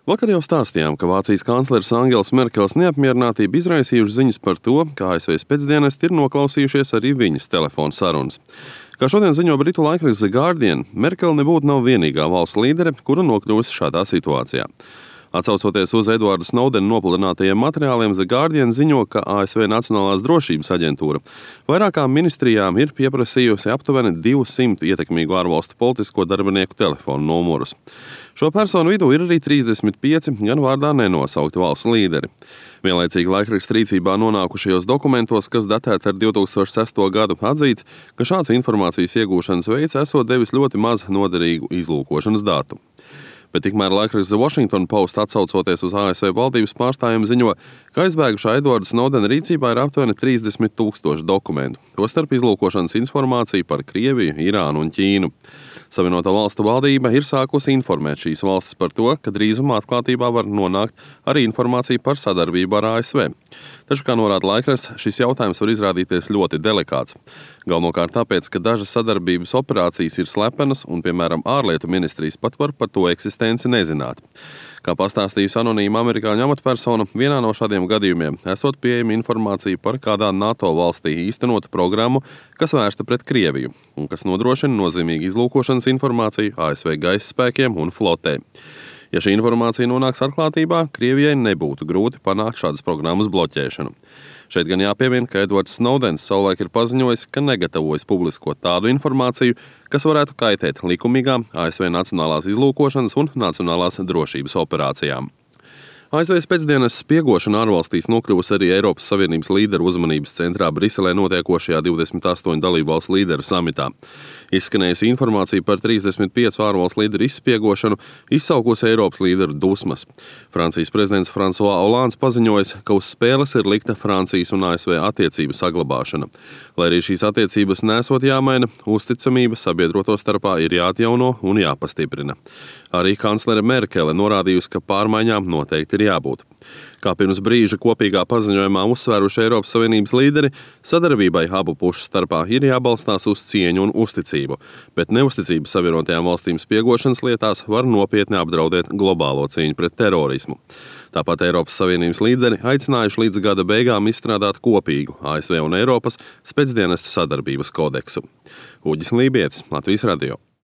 Vakar jau stāstījām, ka Vācijas kancleres Angels Merkels neapmierinātība izraisījuši ziņas par to, ka ASV spēcdienesti ir noklausījušies arī viņas telefona sarunas. Kā šodien ziņo britu laikraksts The Guardian, Merkele nebūtu nav vienīgā valsts līdere, kura nokļuvusi šādā situācijā. Atsaucoties uz Edvarda Snowdena nopludinātajiem materiāliem, The Guardian ziņo, ka ASV Nacionālās drošības aģentūra vairākām ministrijām ir pieprasījusi aptuveni 200 ietekmīgu ārvalstu politisko darbinieku telefonu numurus. Šo personu vidū ir arī 35 gan vārdā nenosaukti valsts līderi. Vienlaicīgi laikraksta rīcībā nonākušajos dokumentos, kas datēti ar 2006. gadu, atzīts, ka šāds informācijas iegūšanas veids esot devis ļoti maz noderīgu izlūkošanas datu. Bet tikmēr laikraksts The Washington Post, atsaucoties uz ASV valdības pārstāvjiem, ziņo, ka aizbēgušā Edvarda Snowdena rīcībā ir aptuveni 30,000 dokumentu, tostarp izlūkošanas informāciju par Krieviju, Irānu un Ķīnu. Savienoto valstu valdība ir sākusi informēt šīs valstis par to, ka drīzumā atklātībā var nonākt arī informācija par sadarbību ar ASV. Taču, kā norāda laikraksts, šis jautājums var izrādīties ļoti delikāts. Galvenokārt tāpēc, ka dažas sadarbības operācijas ir slepenas un, piemēram, ārlietu ministrijas pat var par to eksistenci nezināt. Kā pastāstījusi anonīma amerikāņu amatpersona, vienā no šādiem gadījumiem esot pieejama informācija par kādā NATO valstī īstenotu programmu, kas vērsta pret Krieviju un kas nodrošina nozīmīgu izlūkošanas informāciju ASV gaisa spēkiem un flotē. Ja šī informācija nonāks atklātībā, Krievijai nebūtu grūti panākt šādas programmas bloķēšanu. Šeit gan jāpiemina, ka Edvards Snowdens savulaik ir paziņojis, ka negatavojas publiskot tādu informāciju, kas varētu kaitēt likumīgām ASV nacionālās izlūkošanas un nacionālās drošības operācijām. ASV spēcdienas spiegošana ārvalstīs nokļuvusi arī Eiropas Savienības līderu uzmanības centrā Briselē notiekošajā 28 dalībvalstu līderu samitā. Izskanējusi informācija par 35 ārvalstu līderu izspiegošanu izsaukusi Eiropas līderu dusmas. Francijas prezidents François Hollands paziņojis, ka uz spēles ir likta Francijas un ASV attiecību saglabāšana. Lai arī šīs attiecības nesot jāmaina, uzticamība sabiedroto starpā ir jāatjauno un jāpastiprina. Arī kanclere Merkele norādījusi, ka pārmaiņām noteikti ir jābūt. Kā pirms brīža kopīgā paziņojumā uzsvēruši Eiropas Savienības līderi, sadarbībai abu pušu starpā ir jābalstās uz cieņu un uzticību, bet neusticības Savienotajām valstīm spiegošanas lietās var nopietni apdraudēt globālo cīņu pret terorismu. Tāpat Eiropas Savienības līderi aicinājuši līdz gada beigām izstrādāt kopīgu ASV un Eiropas spēcdienestu sadarbības kodeksu. Uģis Lībietis, Latvijas radio.